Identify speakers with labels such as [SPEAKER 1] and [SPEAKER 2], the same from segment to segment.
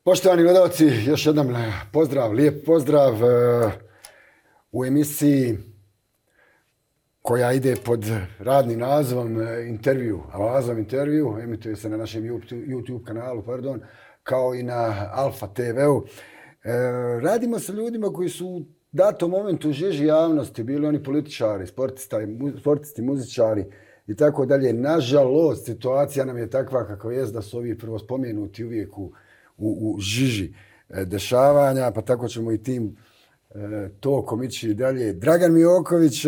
[SPEAKER 1] Poštovani gledalci, još jednom pozdrav, lijep pozdrav u emisiji koja ide pod radnim nazivom intervju, Alazov intervju, emituje se na našem YouTube kanalu, kao i na Alfa TV-u. Radimo sa ljudima koji su u datom momentu u žiži javnosti, bili oni političari, sportisti, muzičari i tako dalje. Nažalost, situacija nam je takva kakva jest da su ovi prvo spomenuti uvijek u žiži dešavanja, pa tako ćemo i tim tokom ići dalje. Dragan Mioković,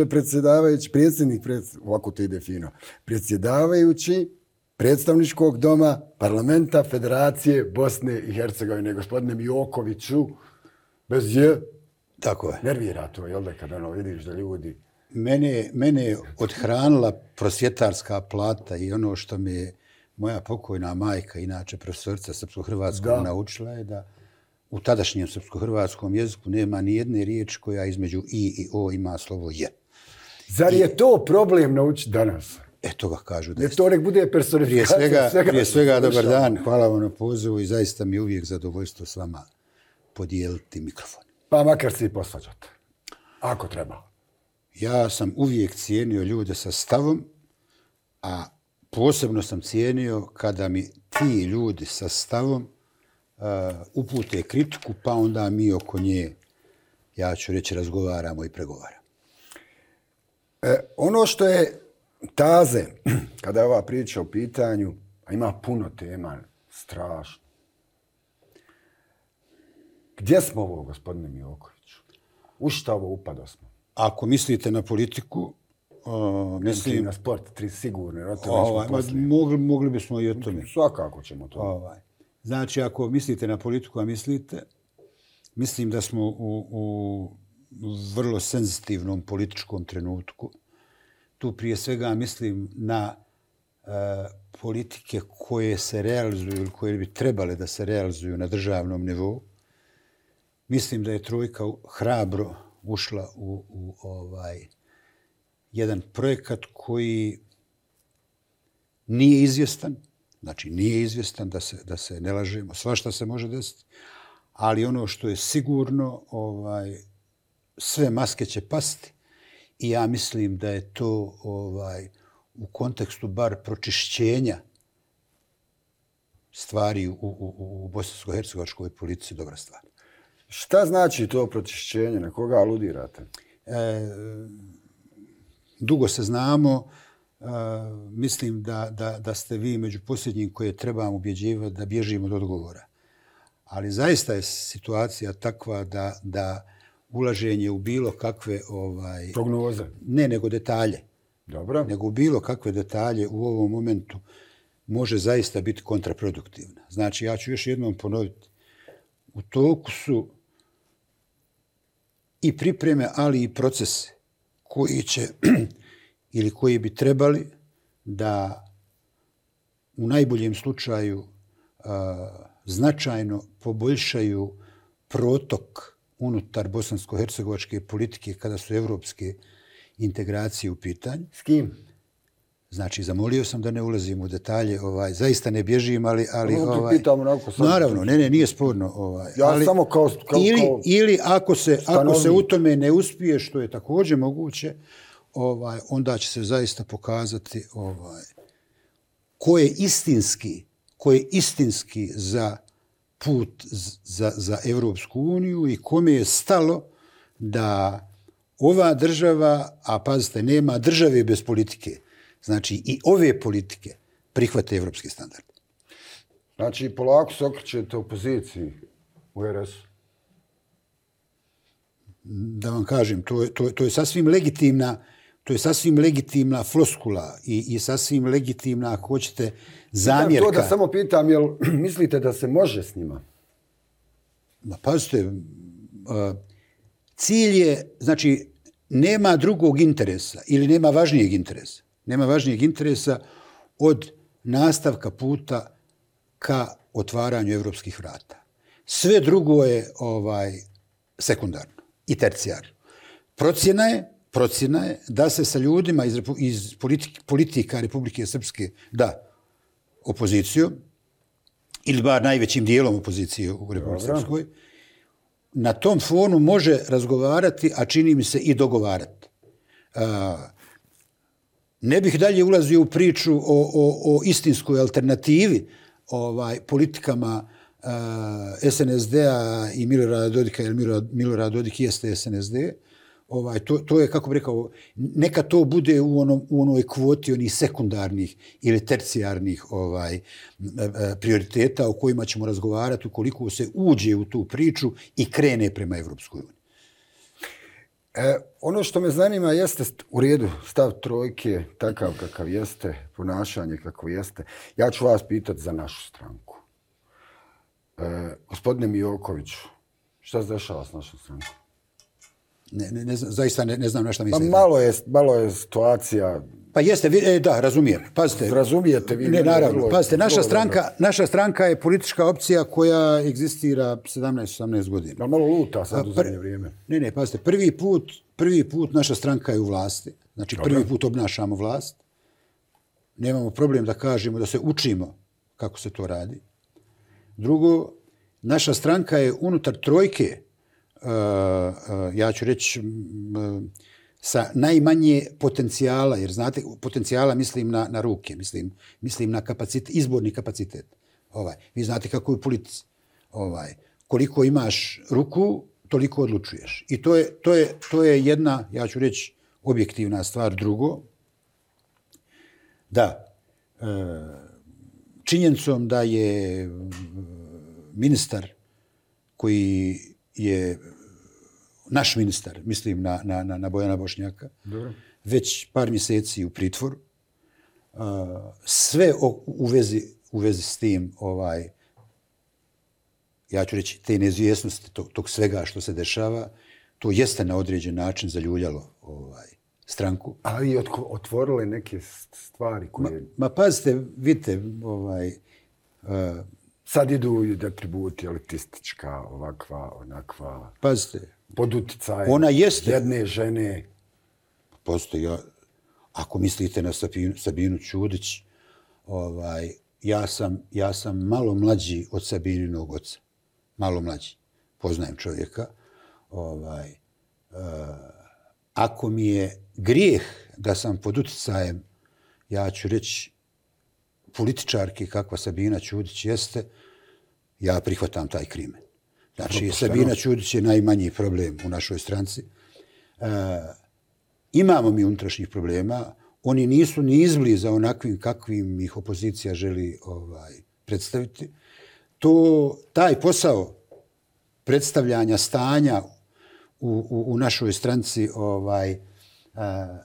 [SPEAKER 1] ovako to ide fino, predsjedavajući predstavničkog doma Parlamenta Federacije Bosne i Hercegovine. Gospodine Miokoviću, bez je,
[SPEAKER 2] tako je.
[SPEAKER 1] Nervira to, jel da, kada vidiš da ljudi...
[SPEAKER 2] Mene je odhranila prosvjetarska plata i ono što mi je moja pokojna majka, inače profesorica srpsko-hrvatskog, naučila je da u tadašnjem srpsko-hrvatskom jeziku nema ni jedne riječi koja između i o ima slovo je.
[SPEAKER 1] Zar je to problem naučiti danas?
[SPEAKER 2] To ga kažu da
[SPEAKER 1] je. To nek bude personifikacija.
[SPEAKER 2] Prije svega dobar dan, hvala vam na pozivu i zaista mi je uvijek zadovoljstvo s vama podijeliti mikrofon.
[SPEAKER 1] Pa makar se i posvađate, ako treba.
[SPEAKER 2] Ja sam uvijek cijenio ljude sa stavom, a posebno sam cijenio kada mi ti ljudi sa stavom upute kritiku, pa onda mi oko nje, ja ću reći, razgovaramo i pregovaramo.
[SPEAKER 1] Ono što je taze, kada je ova priča u pitanju, a ima puno tema, strašno. Gdje smo ovo, gospodine Miokoviću? U šta ovo upado smo?
[SPEAKER 2] Ako mislite na politiku,
[SPEAKER 1] mislim na sport, sigurno.
[SPEAKER 2] Mogli bismo i o tome.
[SPEAKER 1] Svakako ćemo to.
[SPEAKER 2] Znači, ako mislite na politiku, a mislite, mislim da smo u vrlo senzitivnom političkom trenutku. Tu prije svega mislim na politike koje se realizuju ili koje bi trebale da se realizuju na državnom nivou. Mislim da je trojka hrabro ušla u jedan projekat koji nije izvjestan. Znači, nije izvjestan, da se ne lažemo, svašta se može desiti, ali ono što je sigurno, sve maske će pasti i ja mislim da je to u kontekstu bar pročišćenja stvari u bosansko-hercegovačkoj politici dobra stvar.
[SPEAKER 1] Šta znači to pročišćenje? Na koga aludirate?
[SPEAKER 2] Dugo se znamo. Mislim da ste vi među posljednjim koje trebam ubjeđivati da bježimo od odgovora. Ali zaista je situacija takva da ulaženje u bilo kakve...
[SPEAKER 1] prognoze?
[SPEAKER 2] Ne, nego detalje.
[SPEAKER 1] Dobro.
[SPEAKER 2] Nego u bilo kakve detalje u ovom momentu može zaista biti kontraproduktivna. Znači, ja ću još jednom ponoviti. U toku su i pripreme, ali i procese koji će ili koji bi trebali da u najboljem slučaju značajno poboljšaju protok unutar bosansko-hercegovačke politike kada su evropske integracije u pitanju.
[SPEAKER 1] S kim?
[SPEAKER 2] Znači, zamolio sam da ne ulazim u detalje, zaista ne bježim, ali
[SPEAKER 1] naravno,
[SPEAKER 2] nije sporno.
[SPEAKER 1] Ja samo kao
[SPEAKER 2] ili ako se u tome ne uspije, što je također moguće, onda će se zaista pokazati ko je istinski za put za Evropsku uniju i kome je stalo da ova država, a pazite, nema države bez politike, znači i ove politike prihvate evropski standard.
[SPEAKER 1] Znači, polako se okrećete opoziciji u RS-u.
[SPEAKER 2] Da vam kažem, to je sasvim legitimna. To je sasvim legitimna floskula i sasvim legitimna, ako hoćete, zamjerka.
[SPEAKER 1] To da samo pitam, jel mislite da se može s njima?
[SPEAKER 2] Pazite, cilj je, znači, nema drugog interesa ili nema važnijeg interesa. Nema važnijeg interesa od nastavka puta ka otvaranju evropskih vrata. Sve drugo je sekundarno i tercijarno. Procjena je da se sa ljudima iz politika Republike Srpske, da, opozicijom, ili bar najvećim dijelom opozicije u Republici Srpskoj, na tom fonu može razgovarati, a čini mi se i dogovarati. Ne bih dalje ulazio u priču o istinskoj alternativi politikama SNSD-a i Milorada Dodika, jer Milorad Dodik jeste SNSD. To je, kako bih rekao, neka to bude u onoj kvoti onih sekundarnih ili tercijarnih prioriteta o kojima ćemo razgovarati ukoliko se uđe u tu priču i krene prema Evropskoj uniji.
[SPEAKER 1] Ono što me zanima jeste u redu stav trojke, takav kakav jeste, ponašanje kako jeste. Ja ću vas pitati za našu stranku. Gospodine Mijokoviću, šta se dešava s našom strankom?
[SPEAKER 2] Zaista ne znam na šta mislite.
[SPEAKER 1] Malo je situacija...
[SPEAKER 2] Pa jeste, da, razumijem. Pazite.
[SPEAKER 1] Razumijete vi?
[SPEAKER 2] Ne, naravno. Pazite, naša stranka je politička opcija koja egzistira 17-18 godina.
[SPEAKER 1] Malo luta sad u zadnje vrijeme.
[SPEAKER 2] Ne, pazite, prvi put naša stranka je u vlasti. Znači, prvi put obnašamo vlast. Nemamo problem da kažemo da se učimo kako se to radi. Drugo, naša stranka je unutar trojke, ja ću reći, sa najmanje potencijala, jer znate, potencijala mislim na ruke, mislim na kapacitet, izborni kapacitet. Vi znate kako je u politici. Koliko imaš ruku, toliko odlučuješ. I to je jedna, ja ću reći, objektivna stvar. Drugo, da, činjenicom da je ministar koji je naš ministar, mislim na Bojana Bošnjaka,
[SPEAKER 1] dobro,
[SPEAKER 2] već par mjeseci u pritvoru, sve u vezi s tim, ja ću reći, te neizvjesnosti tog svega što se dešava, to jeste na određen način zaljuljalo stranku.
[SPEAKER 1] Ali otvorile neke stvari koje...
[SPEAKER 2] Ma pazite, vidite,
[SPEAKER 1] sad idu i atributi elitistička, ovakva, onakva...
[SPEAKER 2] Pazite.
[SPEAKER 1] Pod utjecajem
[SPEAKER 2] ona jeste
[SPEAKER 1] jedne žene.
[SPEAKER 2] Postoji, ako mislite na Sabinu Ćudić, ja sam malo mlađi od Sabininog oca. Malo mlađi. Poznajem čovjeka. Ako mi je grijeh da sam pod utjecajem, ja ću reći, političarki kakva Sabina Ćudić jeste, ja prihvatam taj krimen. Znači, Sabina Ćudić je najmanji problem u našoj stranci. Imamo mi unutrašnjih problema. Oni nisu ni izbliza onakvim kakvim ih opozicija želi predstaviti. Taj posao predstavljanja stanja u našoj stranci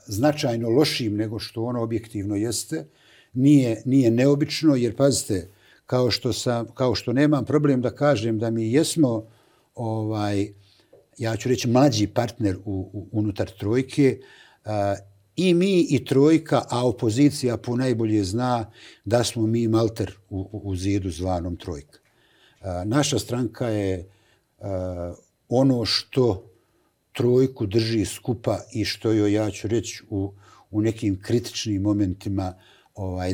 [SPEAKER 2] značajno lošim nego što ono objektivno jeste, nije neobično, jer pazite, kao što nemam problem da kažem da mi jesmo, ja ću reći, mlađi partner unutar trojke, i mi i trojka, a opozicija ponajbolje zna da smo mi malter u zidu zvanom trojka. Naša stranka je ono što trojku drži skupa i što joj, ja ću reći, u nekim kritičnim momentima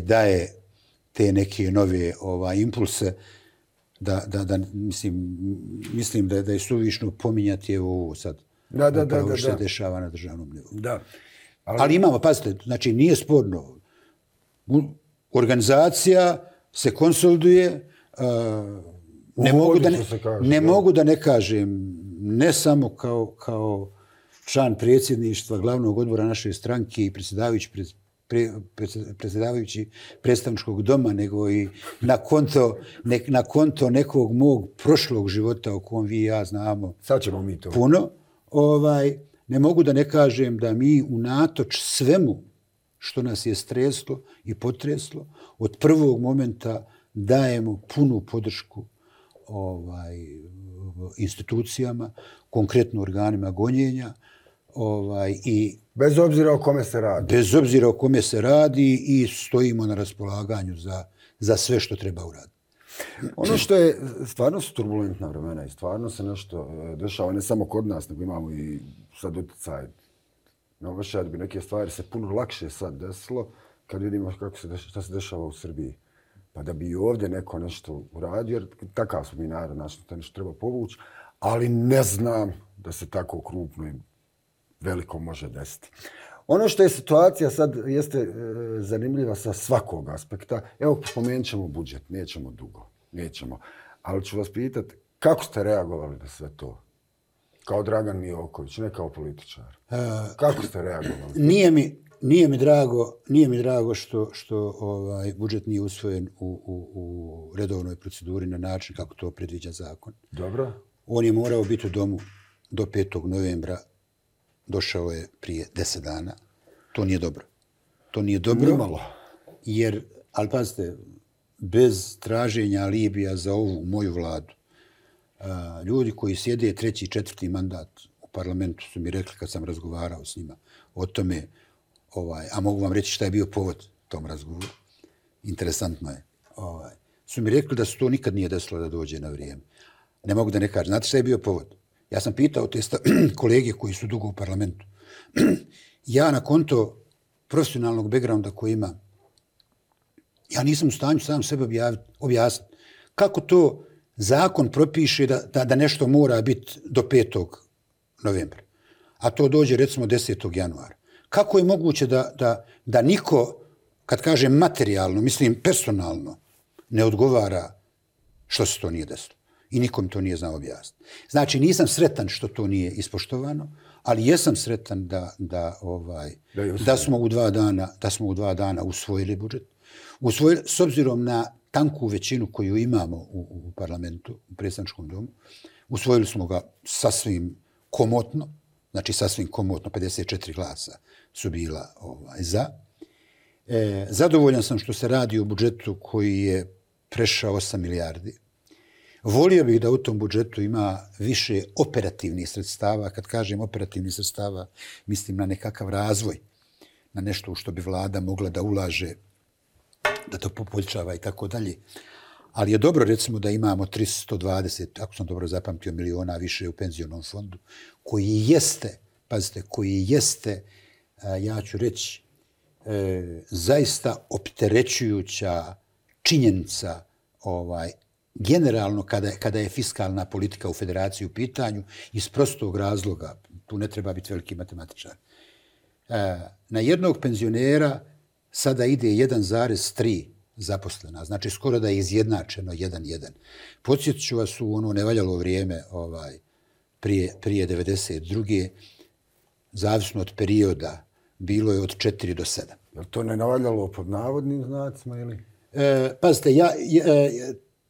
[SPEAKER 2] daje te neke nove impulse, mislim da je suvišno pominjati ovo sad. Upravo što se dešava na državnom nivou.
[SPEAKER 1] Da.
[SPEAKER 2] Ali imamo, pazite, znači nije sporno. Organizacija se konsoliduje, ne mogu da ne kažem, ne samo kao član predsjedništva glavnog odbora naše stranke i predsjedavajući predstavničkog doma, nego i na konto nekog mog prošlog života o kom vi i ja znamo
[SPEAKER 1] sad ćemo mi to
[SPEAKER 2] puno. Ne mogu da ne kažem da mi unatoč svemu što nas je streslo i potreslo, od prvog momenta dajemo punu podršku institucijama, konkretno organima gonjenja, i
[SPEAKER 1] bez obzira o kome se radi.
[SPEAKER 2] Bez obzira o kome se radi i stojimo na raspolaganju za sve što treba uraditi.
[SPEAKER 1] Ono što je, stvarno su turbulentna vremena i stvarno se nešto dešava, ne samo kod nas, nego imamo i sad utjecaj. Novaša da bi neke stvari se puno lakše sad desilo kad vidimo šta se dešava u Srbiji. pa da bi i ovdje neko nešto uradio, jer takav smo mi narod, znači to nešto treba povući, ali ne znam da se tako krupno i veliko može desiti. Ono što je situacija sad jeste zanimljiva sa svakog aspekta. Evo, spomenut ćemo budžet, nećemo dugo, nećemo. Ali ću vas pitati, kako ste reagovali na sve to? Kao Dragan Mijoković, ne kao političar. Kako ste reagovali?
[SPEAKER 2] Nije mi drago što budžet nije usvojen u redovnoj proceduri na način kako to predviđa zakon.
[SPEAKER 1] Dobro.
[SPEAKER 2] On je morao biti u domu do 5. novembra. Došao je prije 10 dana. To nije dobro. To nije dobro.
[SPEAKER 1] Nimalo.
[SPEAKER 2] Jer, ali pazite, bez traženja alibija za ovu moju vladu, ljudi koji sjede 3. i 4. mandat u parlamentu su mi rekli kad sam razgovarao s njima o tome, a mogu vam reći šta je bio povod tom razgovoru. Interesantno je. Su mi rekli da se to nikad nije desilo da dođe na vrijeme. Ne mogu da ne kažem. Znate šta je bio povod? Ja sam pitao te kolege koji su dugo u parlamentu. Ja na konto profesionalnog backgrounda koji imam, ja nisam u stanju sam sebe objasniti. Kako to zakon propiše da nešto mora biti do 5. novembra, a to dođe recimo 10. januara. Kako je moguće da niko, kad kažem materijalno, mislim personalno, ne odgovara što se to nije desilo? I nikom to nije znao objasniti. Znači, nisam sretan što to nije ispoštovano, ali jesam sretan da smo u 2 dana usvojili budžet. Usvojili, s obzirom na tanku većinu koju imamo u parlamentu, u predstavničkom domu, usvojili smo ga sasvim komotno, 54 glasa su bila za. Zadovoljan sam što se radi o budžetu koji je prešao 8 milijardi. Volio bih da u tom budžetu ima više operativnih sredstava. Kad kažem operativnih sredstava, mislim na nekakav razvoj, na nešto u što bi vlada mogla da ulaže, da to poboljšava i tako dalje. Ali je dobro, recimo, da imamo 320, ako sam dobro zapamtio, miliona više u penzionom fondu, koji jeste, ja ću reći, zaista opterećujuća činjenica generalno kada je fiskalna politika u federaciji u pitanju, iz prostog razloga, tu ne treba biti veliki matematičar. Na jednog penzionera sada ide 1,3 zaposlena, znači skoro da je izjednačeno 1:1. Podsjetit ću vas u ono nevaljalo vrijeme prije 92. Zavisno od perioda, bilo je od 4 do 7.
[SPEAKER 1] Je li to ne navaljalo pod navodnim znacima ili?
[SPEAKER 2] Pazite,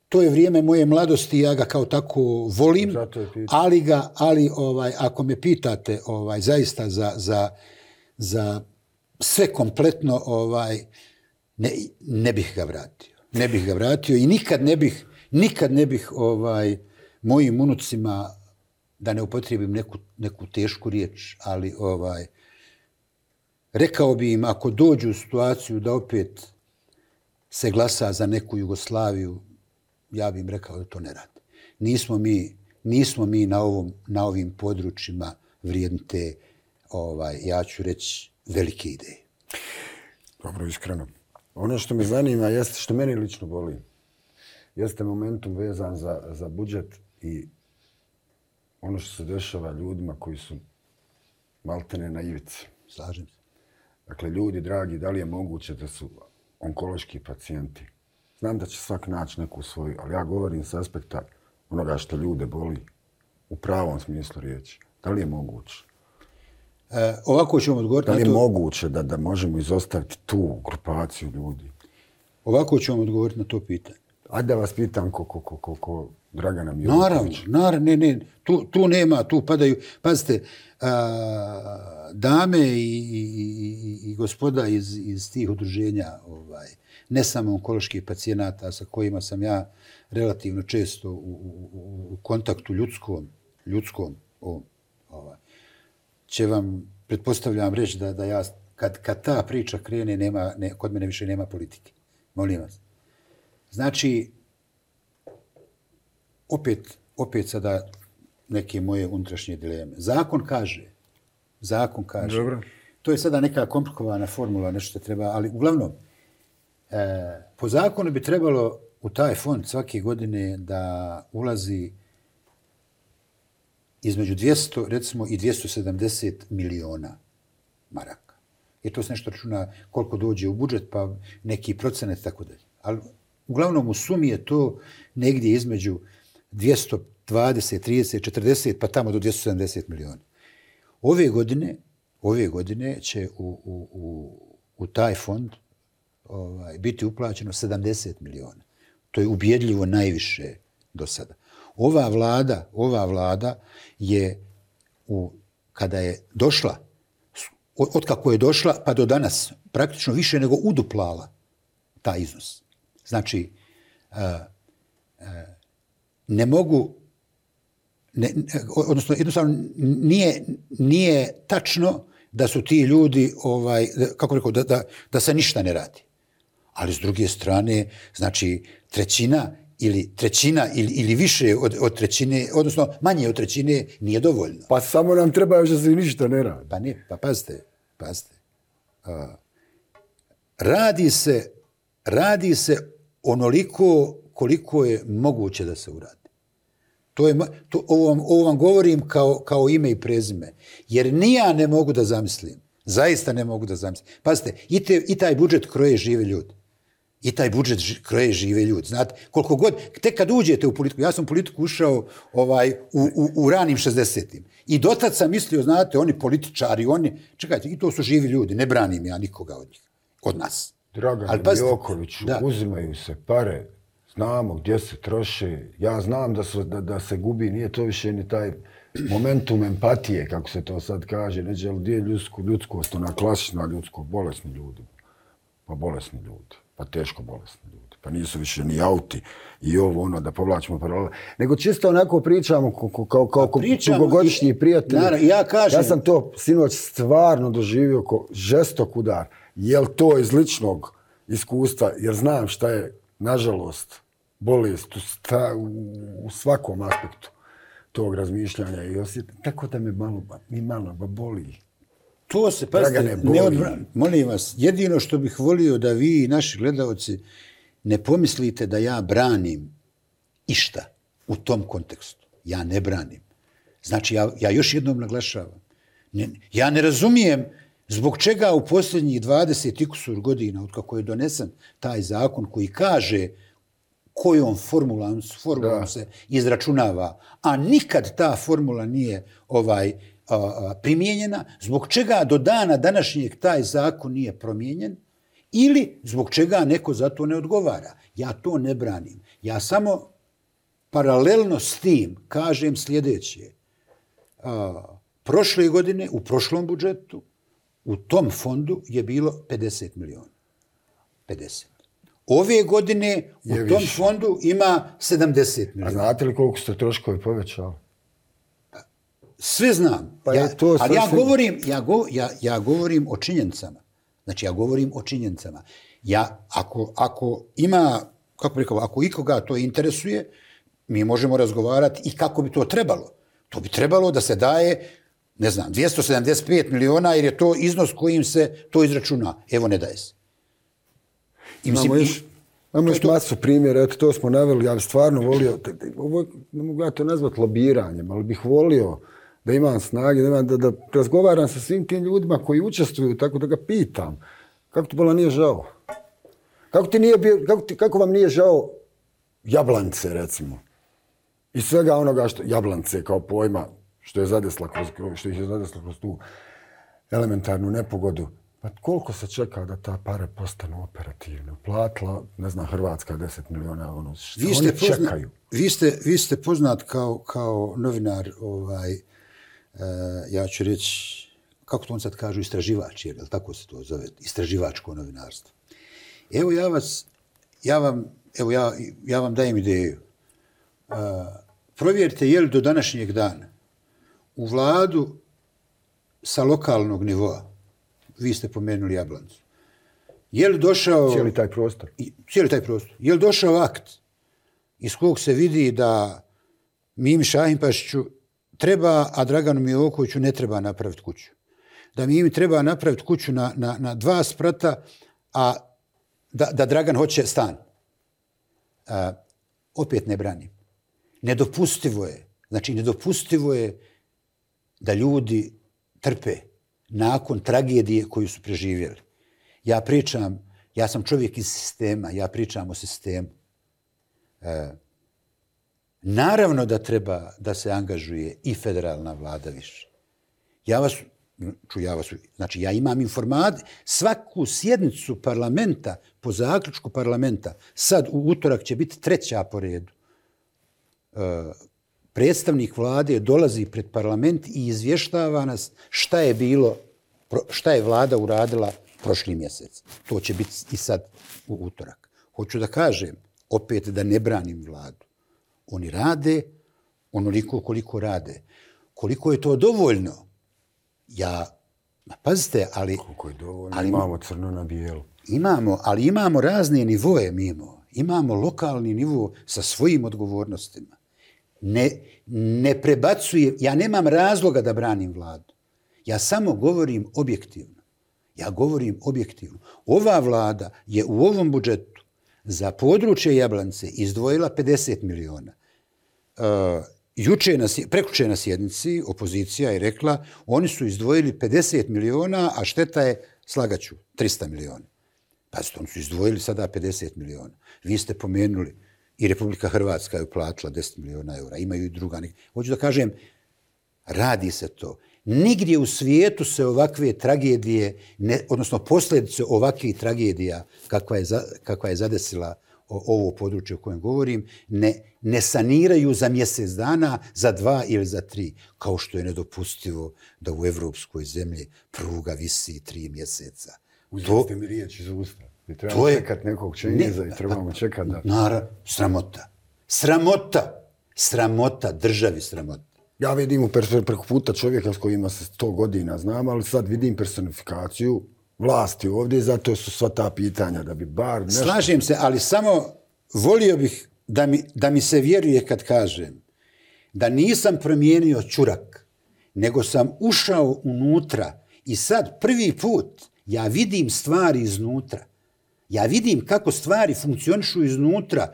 [SPEAKER 2] to je vrijeme moje mladosti, ja ga kao tako volim, ali ako me pitate zaista za sve kompletno, ne bih ga vratio. Ne bih ga vratio i nikad ne bih mojim unucima, da ne upotrijebim neku tešku riječ, ali rekao bi im, ako dođu u situaciju da opet se glasa za neku Jugoslaviju, ja bih im rekao da to ne rade. Nismo mi na ovim područjima vrijedni te, ja ću reći, velike ideje.
[SPEAKER 1] Dobro, iskreno. Ono što me zanima jeste, što meni lično boli, jeste momentum vezan za budžet i ono što se dešava ljudima koji su maltene na ivici.
[SPEAKER 2] Slažem se.
[SPEAKER 1] Dakle, ljudi, dragi, da li je moguće da su onkološki pacijenti? Znam da će svak naći neku svoju, ali ja govorim s aspekta onoga što ljude boli u pravom smislu riječi. Da li je moguće?
[SPEAKER 2] Ovako ću vam odgovoriti
[SPEAKER 1] na to. Da li je moguće da možemo izostaviti tu grupaciju ljudi?
[SPEAKER 2] Ovako ću vam odgovoriti na to pitanje.
[SPEAKER 1] Ajde da vas pitam ko Dragana Mijokovića.
[SPEAKER 2] Naravno, ne. Tu nema, tu padaju. Pazite, dame i gospoda iz tih udruženja, ne samo onkoloških pacijenata sa kojima sam ja relativno često u kontaktu ljudskom, će vam, pretpostavljam, reći da ja, kad ta priča krene, kod mene više nema politike. Molim vas. Znači, opet sada neke moje unutrašnje dileme. Zakon kaže,
[SPEAKER 1] Dobro.
[SPEAKER 2] to je sada neka komplikovana formula, nešto treba, ali uglavnom, Po zakonu bi trebalo u taj fond svake godine da ulazi između 200, recimo, i 270 miliona maraka. Jer to se nešto računa koliko dođe u budžet, pa neki procenat i tako dalje. Ali uglavnom u sumi je to negdje između 220, 30, 40, pa tamo do 270 miliona. Ove godine će u taj fond biti uplaćeno 70 miliona. To je ubjedljivo najviše do sada. Ova vlada je, kada je došla, od kako je došla pa do danas, praktično više nego uduplala taj iznos. Znači, ne mogu, odnosno jednostavno nije tačno da su ti ljudi, kako rekao, da se ništa ne radi. Ali s druge strane, znači trećina ili više od trećine, odnosno manje od trećine nije dovoljno.
[SPEAKER 1] Pa samo nam treba još da se ništa ne radi.
[SPEAKER 2] Pa ne, pa pazite. Radi se onoliko koliko je moguće da se uradi. Ovo vam govorim kao ime i prezime. Jer ni ja ne mogu da zamislim. Zaista ne mogu da zamislim. Pazite, i taj budžet kroje žive ljudi. Znate, koliko god, tek kad uđete u politiku, ja sam u politiku ušao u ranim 60-im. I dotad sam mislio, znate, oni političari, čekajte, i to su živi ljudi, ne branim ja nikoga od njih, od nas.
[SPEAKER 1] Dragane Jokoviću, uzimaju se pare, znamo gdje se troše, ja znam da se gubi, nije to više ni taj momentum empatije, kako se to sad kaže, neđe, ali gdje je ljudskost, ona klasična ljudsko, bolesni ljudi, pa teško bolesni ljudi, pa nisu više ni auti i da povlačimo paralele, nego čisto onako pričamo kao dugogodišnji prijatelji. Ja sam to sinoć stvarno doživio kao žestok udar. Je li to iz ličnog iskustva, jer znam šta je, nažalost, bolest u svakom aspektu tog razmišljanja i osjetim, tako da me malo boli.
[SPEAKER 2] To se, pazite, molim vas, jedino što bih volio da vi i naši gledalci ne pomislite da ja branim išta u tom kontekstu. Ja ne branim. Znači, ja još jednom naglašavam. Ja ne razumijem zbog čega u posljednjih 20 i kusur godina, od kako je donesen taj zakon koji kaže kojom formulom se izračunava, a nikad ta formula nije primijenjena, zbog čega do dana današnjeg taj zakon nije promijenjen ili zbog čega neko za to ne odgovara. Ja to ne branim. Ja samo paralelno s tim kažem sljedeće. Prošle godine, u prošlom budžetu, u tom fondu je bilo 50 miliona. 50. Ove godine u tom fondu ima 70 miliona.
[SPEAKER 1] A znate li koliko ste troškovi povećali?
[SPEAKER 2] Sve znam. Ali ja govorim o činjenicama. Znači, ja govorim o činjenicama. Ako ima, kako bih rekao, ako ikoga to interesuje, mi možemo razgovarati i kako bi to trebalo. To bi trebalo da se daje, ne znam, 275 miliona, jer je to iznos kojim se to izračuna. Evo, ne daje se.
[SPEAKER 1] Imamo još masu primjera, eto to smo naveli, ja bih stvarno volio, ne mogu ja to nazvati lobiranjem, ali bih volio da imam snage, da razgovaram sa svim tim ljudima koji učestvuju, tako da ga pitam, kako ti bola nije žao? Kako vam nije žao Jablance, recimo? I svega onoga što Jablance kao pojma, što ih je zadesla kroz tu elementarnu nepogodu. Pa koliko se čeka da ta pare postanu operativne? Platila, ne znam, Hrvatska 10 miliona, oni čekaju.
[SPEAKER 2] Vi ste poznat kao novinar, ja ću reći, kako to on sad kažu, istraživač, jer tako se to zove, istraživačko novinarstvo. Evo ja vam dajem ideju. Provjerite je li do današnjeg dana u vladu sa lokalnog nivoa, vi ste pomenuli Jablancu, je li došao...
[SPEAKER 1] Cijeli taj prostor.
[SPEAKER 2] Je li došao akt iz kog se vidi da Mimi Šahinpašiću treba, a Draganu Milokoviću ne treba napraviti kuću. Da Mimi treba napraviti kuću na 2 sprata, a da Dragan hoće stan. Opet ne branim. Nedopustivo je da ljudi trpe nakon tragedije koju su preživjeli. Ja sam čovjek iz sistema, ja pričam o sistemu. Naravno da treba da se angažuje i federalna vlada više. Znači, ja imam informaciju, svaku sjednicu parlamenta, po zaključku parlamenta, sad u utorak će biti 3. po redu. Predstavnik vlade dolazi pred parlament i izvještava nas šta je vlada uradila prošli mjesec. To će biti i sad u utorak. Hoću da kažem, opet da ne branim vladu. Oni rade onoliko koliko rade. Koliko je to dovoljno? Pazite, ali...
[SPEAKER 1] Koliko je dovoljno, imamo crno na bijelo.
[SPEAKER 2] Ali imamo razne nivoje mimo. Imamo lokalni nivo sa svojim odgovornostima. Ne prebacujem, ja nemam razloga da branim vladu. Ja samo govorim objektivno. Ova vlada je u ovom budžetu za područje Jablance izdvojila 50 miliona. Prekjuče na sjednici opozicija je rekla oni su izdvojili 50 miliona, a šteta je, slagaću, 300 miliona. Pazite, oni su izdvojili sada 50 miliona. Vi ste pomenuli i Republika Hrvatska je uplatila 10 miliona eura. Imaju i druga. Hoću da kažem, radi se to. Nigdje u svijetu se ovakve tragedije, odnosno posljedice ovakvih tragedija kakva je zadesila ovo područje o kojem govorim, ne saniraju za mjesec dana, za 2 ili za 3, kao što je nedopustivo da u evropskoj zemlji pruga visi 3 mjeseca.
[SPEAKER 1] Uzmite mi riječ iz usta. I trebamo čekati nekog Čengiza i trebamo čekati da...
[SPEAKER 2] Naravno, sramota, državi sramota.
[SPEAKER 1] Ja vidim preko puta čovjeka s kojima se 100 godina znam, ali sad vidim personifikaciju vlasti ovdje, zato su sva ta pitanja da bi bar nešto...
[SPEAKER 2] Slažem se, ali samo volio bih da mi se vjeruje kad kažem da nisam promijenio čurak, nego sam ušao unutra i sad prvi put ja vidim stvari iznutra. Ja vidim kako stvari funkcionišu iznutra.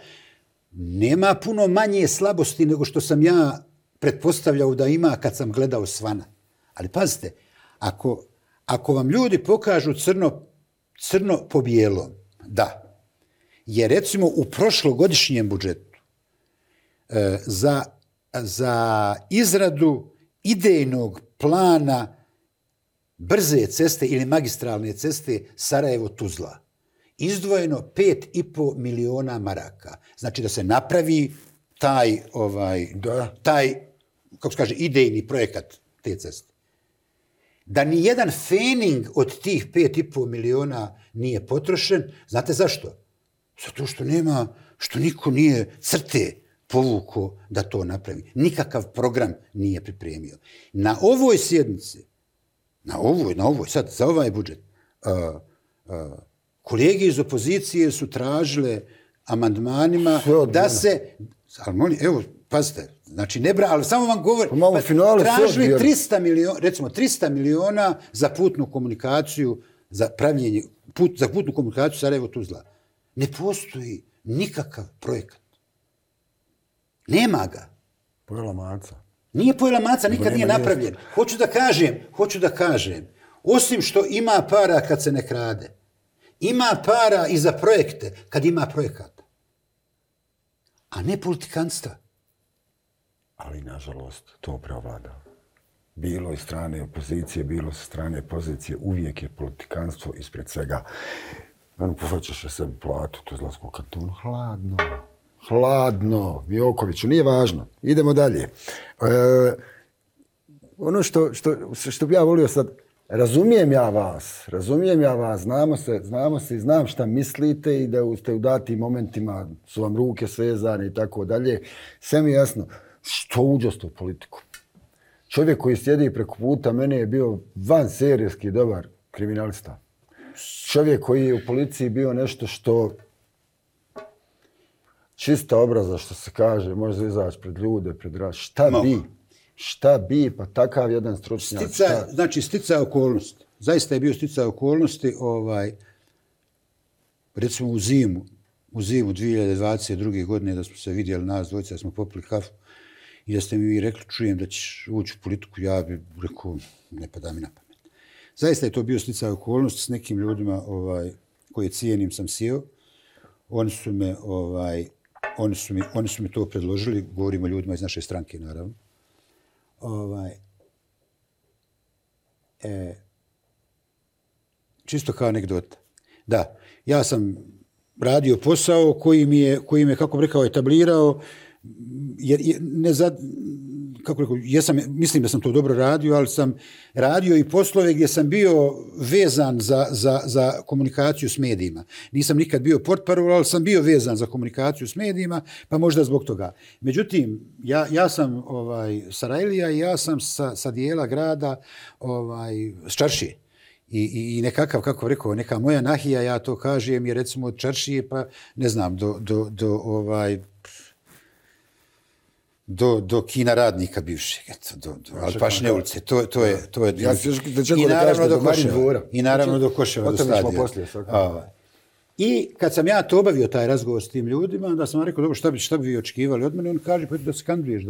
[SPEAKER 2] Nema puno manje slabosti nego što sam ja pretpostavljao da ima kad sam gledao svana. Ali pazite, ako vam ljudi pokažu crno po bijelom, da je recimo u prošlogodišnjem budžetu za izradu idejnog plana brze ceste ili magistralne ceste Sarajevo-Tuzla izdvojeno 5,5 miliona maraka. Znači da se napravi taj kako se kaže, idejni projekat te ceste. Da ni jedan fening od tih 5,5 miliona nije potrošen. Znate zašto? Zato što niko nije crte povukao da to napravi. Nikakav program nije pripremio. Na ovoj sjednici, na ovoj, sad, za ovaj budžet, kolege iz opozicije su tražile amandmanima da se... Evo, pazite, znači ali samo vam govorim, tražili 300 miliona, recimo 300 miliona za putnu komunikaciju, za pravljenje, za putnu komunikaciju Sarajevo-Tuzla. Ne postoji nikakav projekat. Nema ga.
[SPEAKER 1] Pojela maca.
[SPEAKER 2] Nije pojela maca, nikad nije napravljen. Hoću da kažem, osim što ima para kad se ne krade, ima para i za projekte kad ima projekata. A ne politikanstva.
[SPEAKER 1] Ali, nažalost, to preovlada. Bilo iz strane opozicije, bilo sa strane pozicije, uvijek je politikanstvo ispred svega. Povećaš sebi platu, to izlazko kantonu. Hladno, Jokoviću, nije važno. Idemo dalje. Ono što bi ja volio sad, razumijem ja vas, znamo se i znam šta mislite i da ste u datim momentima su vam ruke svezane i tako dalje. Sve mi je jasno. Što uđoste u politiku? Čovjek koji sjedi preko puta mene je bio vanserijski dobar kriminalista. Čovjek koji je u policiji bio nešto što čista obraza, što se kaže, može izaći pred ljude, pred raz. Šta bi, pa takav jedan stručnjak.
[SPEAKER 2] Znači, sticaj okolnosti. Zaista je bio sticaj okolnosti. recimo u zimu 2022. godine da smo se vidjeli nas dvojica, da smo popili kafu i da ste mi vi rekli, čujem da ćeš ući u politiku, ja bih rekao, ne pada mi na pamet. Zaista je to bio sticaj okolnosti s nekim ljudima koje cijenim sam sjeo. Oni su mi to predložili, govorimo o ljudima iz naše stranke, naravno. Čisto kao anegdota. Da, ja sam radio posao koji mi je, kako bih rekao, etablirao, jer mislim da sam to dobro radio, ali sam radio i poslove gdje sam bio vezan za komunikaciju s medijima. Nisam nikad bio portparol, ali sam bio vezan za komunikaciju s medijima, pa možda zbog toga. Međutim, ja sam Sarajlija i ja sam sa dijela grada s Čaršije. I nekakav, kako rekao, neka moja nahija, ja to kažem, je recimo od Čaršije, pa ne znam, do kina radnika bivšeg, do Alpašne ulice, to je. I naravno do Koševa, do stadiona. I kad sam ja to obavio, taj razgovor s tim ljudima, onda sam rekao, dobro, šta bi vi očekivali od mene? On kaže, pa da se kandiduješ,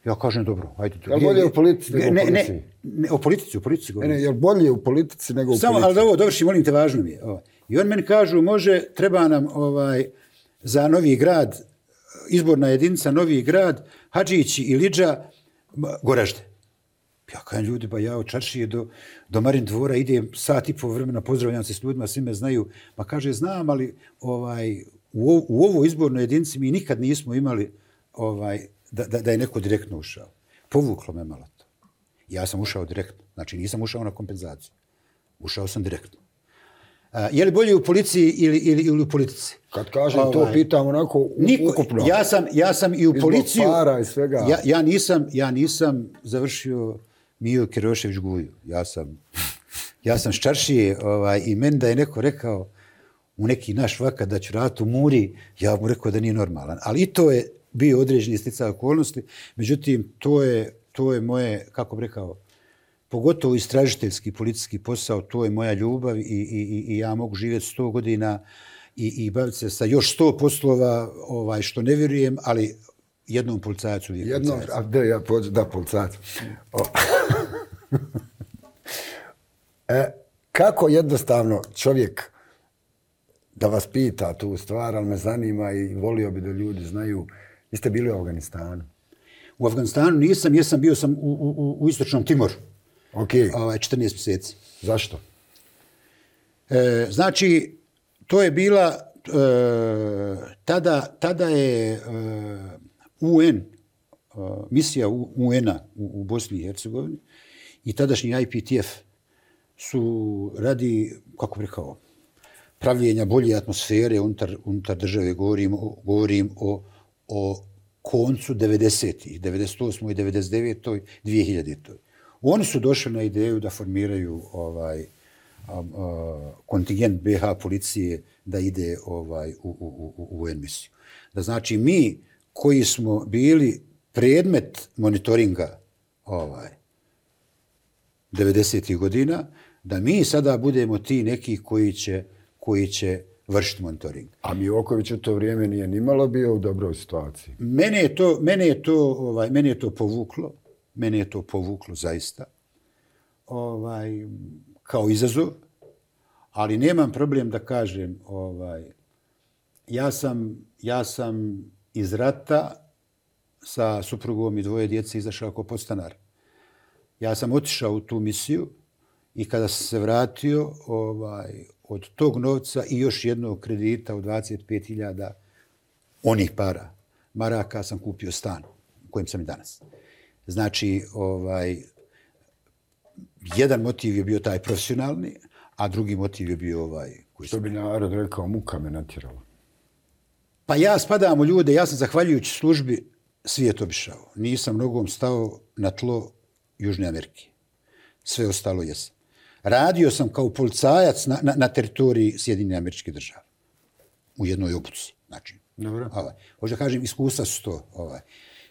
[SPEAKER 2] ja kažem, dobro, ajde.
[SPEAKER 1] Je li bolje u politici nego u policiji?
[SPEAKER 2] Ne, o politici govorim.
[SPEAKER 1] Je li bolje u politici nego u policiji?
[SPEAKER 2] Samo, ali da ovo dovrši, molim te, važno mi je. I on meni kažu, može, treba nam za Novi Grad, izborna jedinica Novi Grad, Hadžić i Lidža, Goražde. Ja kažem, ljudi, ba ja od Čaršije do Marin dvora idem sat i po vremena, pozdravljam se s ljudima, svi me znaju. Pa kaže, znam, ali u ovoj izbornoj jedinici mi nikad nismo imali da je neko direktno ušao. Povuklo me malo to. Ja sam ušao direktno. Znači, nisam ušao na kompenzaciju. Ušao sam direktno. Je li bolje u policiji ili u politici?
[SPEAKER 1] Kad kažem to, pitam onako ukupno.
[SPEAKER 2] Ja sam i u policiju...
[SPEAKER 1] Izbog para i svega.
[SPEAKER 2] Ja nisam završio Mio Kerošević Guju. Ja sam s Čaršije i meni da je neko rekao u neki naš vakat da ću raditi u Muri, ja mu rekao da nije normalan. Ali i to je bio određeni sticaj okolnosti. Međutim, to je moje, kako bih rekao, pogotovo istražiteljski policijski posao, to je moja ljubav i ja mogu živjeti 100 godina i baviti se sa još 100 poslova, što ne vjerujem, ali jednom policajacu uvijek policajac.
[SPEAKER 1] Da, policajac. Kako jednostavno čovjek da vas pita tu stvar, ali me zanima i volio bi da ljudi znaju, vi ste bili u Afganistanu?
[SPEAKER 2] U Afganistanu nisam, bio sam u Istočnom Timoru.
[SPEAKER 1] Okay.
[SPEAKER 2] 14 mjeseci.
[SPEAKER 1] Zašto?
[SPEAKER 2] Znači, to je bila, tada je UN, misija UN-a u Bosni i Hercegovini i tadašnji IPTF su radi, kako bih rekao, pravljenja bolje atmosfere unutar države, govorim o koncu 90-ih, 98. i 99. 2000. Oni su došli na ideju da formiraju kontingent BH policije da ide u UN misiju. Da znači mi koji smo bili predmet monitoringa 90. godina, da mi sada budemo ti neki koji će vršiti monitoring.
[SPEAKER 1] A Mioković u to vrijeme nije nimalo bio u dobroj situaciji.
[SPEAKER 2] Mene je to povuklo. Mene je to povuklo zaista kao izazov, ali nemam problem da kažem, ja sam iz rata sa suprugom i 2 djece izašao kao podstanar. Ja sam otišao u tu misiju i kada sam se vratio od tog novca i još jednog kredita od 25.000 onih maraka sam kupio stan u kojem sam i danas. Znači, jedan motiv je bio taj profesionalni, a drugi motiv je bio koji
[SPEAKER 1] što bi narod rekao, muka me natjerala.
[SPEAKER 2] Pa ja spadam u ljude, ja sam zahvaljujući službi svijet obišao. Nisam nogom stao na tlo Južne Amerike. Sve ostalo jesam. Radio sam kao policajac na teritoriji Sjedinjenih Američkih Država. U jednoj obuci. Znači, možda kažem, iskustva su to.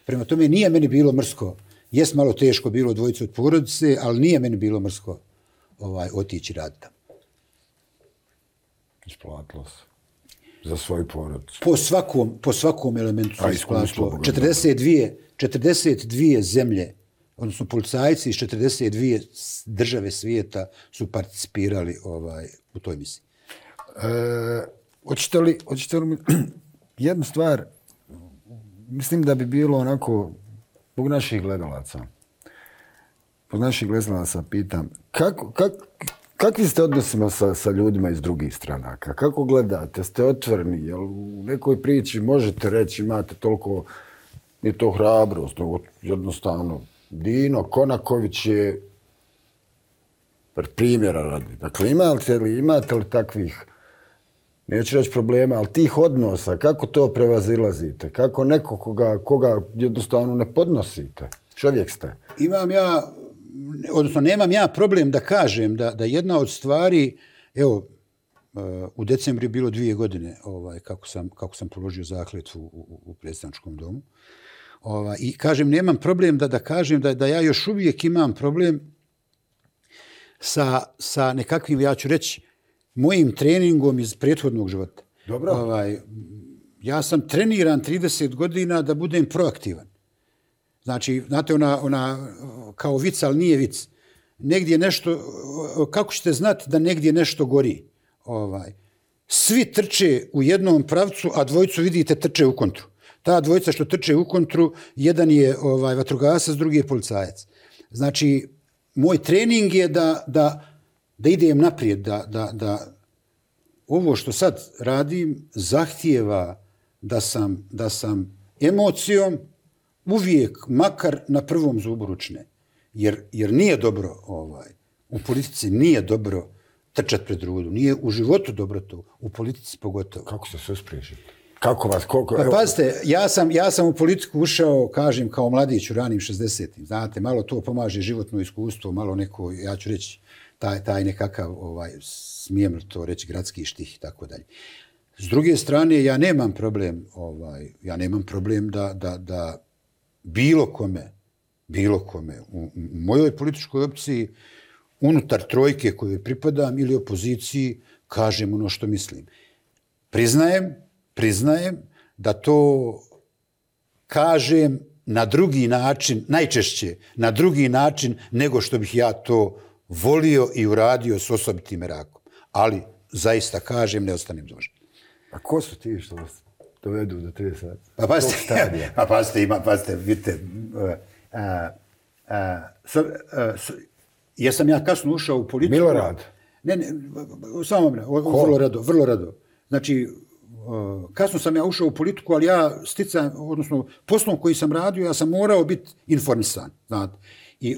[SPEAKER 2] Prema tome, nije meni bilo mrsko. Jes malo teško bilo dvojice od porodice, ali nije meni bilo mrsko otići raditi tamo.
[SPEAKER 1] Isplatilo se. Za svoju porodicu.
[SPEAKER 2] Po svakom elementu se isplatilo. 42 zemlje, odnosno policajci iz 42 države svijeta su participirali u toj misiji.
[SPEAKER 1] Hoćete li mi jednu stvar, mislim da bi bilo onako, zbog naših gledalaca pitam, kakvi ste odnosima sa ljudima iz drugih stranaka? Kako gledate? Ste otvoreni? Jel u nekoj priči možete reći, imate toliko, nije to hrabrost, jednostavno, Dino Konaković je primjera radi. Dakle, imate li takvih, neću reći problema, ali tih odnosa, kako to prevazilazite? Kako neko koga jednostavno ne podnosite? Čovjek ste.
[SPEAKER 2] Nemam ja problem da kažem da jedna od stvari, evo, u decembru je bilo 2 godine kako sam položio zakletvu u predstavničkom domu. I kažem, nemam problem da kažem da ja još uvijek imam problem sa nekakvim, ja ću reći, mojim treningom iz prethodnog života.
[SPEAKER 1] Dobro.
[SPEAKER 2] Ja sam treniran 30 godina da budem proaktivan. Znači, znate, ona kao vic, ali nije vic. Negdje nešto, kako ćete znati da negdje nešto gori? Svi trče u jednom pravcu, a dvojicu vidite trče u kontru. Ta dvojica što trče u kontru, jedan je vatrogasac, drugi je policajac. Znači, moj trening je da idem naprijed, da ovo što sad radim zahtijeva da sam emocijom uvijek, makar na prvom zubu ručne. Jer nije dobro, u politici nije dobro trčati pred rudu. Nije u životu dobro to, u politici pogotovo.
[SPEAKER 1] Kako se sve spriječite? Kako vas, koliko...
[SPEAKER 2] Pa pazite, ja sam u politiku ušao, kažem, kao mladić u ranim 60-im. Znate, malo to pomaže životno iskustvo, malo neko, ja ću reći, taj nekakav, smijem li to reći, gradski štih i tako dalje. S druge strane, ja nemam problem da bilo kome u mojoj političkoj opciji, unutar trojke kojoj pripadam ili opoziciji, kažem ono što mislim. Priznajem da to kažem na drugi način, najčešće na drugi način nego što bih ja to volio i uradio s osobitim merakom. Ali zaista kažem, ne ostanem dužan.
[SPEAKER 1] A ko su ti što vas dovedu do 30?
[SPEAKER 2] Pazite, vidite. Jesam ja kasno ušao u politiku?
[SPEAKER 1] Milorad?
[SPEAKER 2] Ne, samo vrlo rado. Znači, kasno sam ja ušao u politiku, ali ja odnosno poslom koji sam radio, ja sam morao biti informisan, znate. I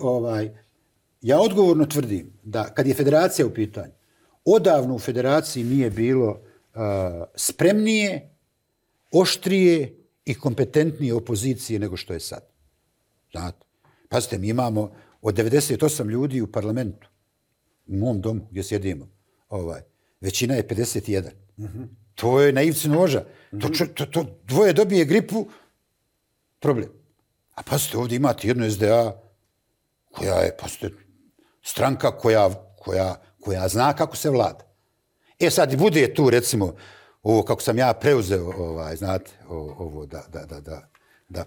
[SPEAKER 2] ja odgovorno tvrdim da kad je federacija u pitanju, odavno u federaciji nije bilo spremnije, oštrije i kompetentnije opozicije nego što je sad. Znate, pazite, mi imamo od 98 ljudi u parlamentu, u mom domu gdje sjedimo, većina je 51. To je na ivci noža. To dvoje dobije gripu, problem. A pazite, ovdje imate jednu SDA koja je, pazite, stranka koja zna kako se vlada. Sad bude tu, recimo, ovo kako sam ja preuzeo, znate, ovo da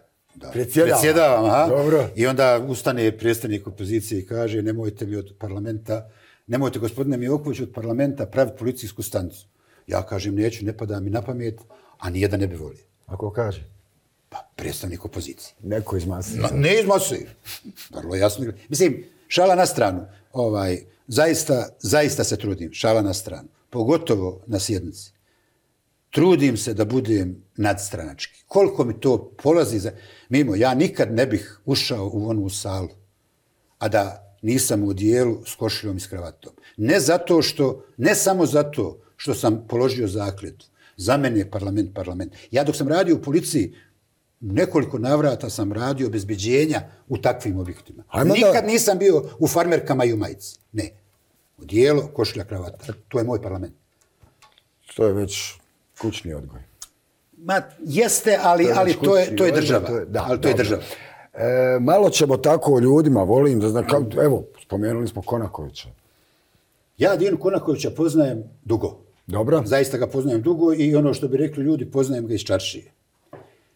[SPEAKER 2] predsjedavam.
[SPEAKER 1] Dobro.
[SPEAKER 2] I onda ustane predstavnik opozicije i kaže, nemojte mi od parlamenta, nemojte gospodine Mijoković od parlamenta praviti policijsku stanicu. Ja kažem, neću, ne pada mi na pamet, a nijedan ne bi volio.
[SPEAKER 1] A ko kaže?
[SPEAKER 2] Pa, predstavnik opozicije.
[SPEAKER 1] Neko iz mase.
[SPEAKER 2] Ne iz mase. Vrlo jasno. Mislim, šala na stranu. Zaista se trudim, šala na stranu. Pogotovo na sjednici. Trudim se da budem nadstranački. Koliko mi to polazi mimo, ja nikad ne bih ušao u onu salu, a da nisam u odijelu s košuljom i s kravatom. Ne samo zato što sam položio zakletvu. Za mene je parlament. Ja dok sam radio u policiji, nekoliko navrata sam radio obezbeđenja u takvim objektima. Nikad nisam bio u farmerkama i u majici. Ne. Odijelo, košulja, kravata. To je moj parlament.
[SPEAKER 1] To je već kućni odgoj.
[SPEAKER 2] Jeste, ali to je država. Ali to je država.
[SPEAKER 1] Malo ćemo tako o ljudima, volim da znam, evo, spomenuli smo Konakovića.
[SPEAKER 2] Ja Dinu Konakovića poznajem dugo.
[SPEAKER 1] Dobro.
[SPEAKER 2] Zaista ga poznajem dugo i ono što bi rekli ljudi, poznajem ga iz čaršije.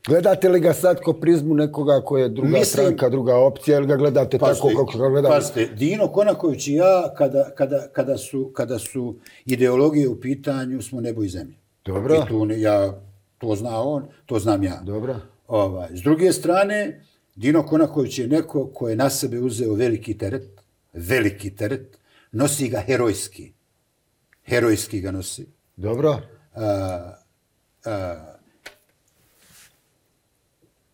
[SPEAKER 1] Gledate li ga sad ko prizmu nekoga ko je druga stranka, druga opcija, ili ga gledate tako kako ga gledate?
[SPEAKER 2] Pazite, Dino Konaković i ja, kada su ideologije u pitanju, smo nebo i zemlje.
[SPEAKER 1] Dobro.
[SPEAKER 2] I to zna on, to znam ja.
[SPEAKER 1] Dobro.
[SPEAKER 2] S druge strane, Dino Konaković je neko ko je na sebe uzeo veliki teret, nosi ga herojski ga nosi.
[SPEAKER 1] Dobro.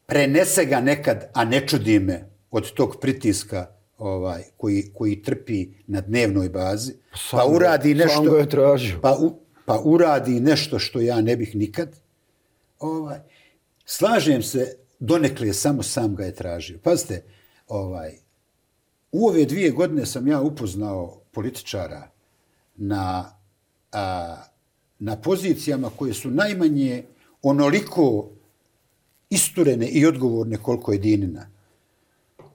[SPEAKER 2] Prenese ga nekad, a ne čudi me, od tog pritiska koji trpi na dnevnoj bazi, pa uradi nešto...
[SPEAKER 1] Sam ga je tražio.
[SPEAKER 2] Pa uradi nešto što ja ne bih nikad. Slažem se, donekle samo sam ga je tražio. Pazite, u ove 2 godine sam ja upoznao političara na pozicijama koje su najmanje onoliko isturene i odgovorne koliko je Dinina,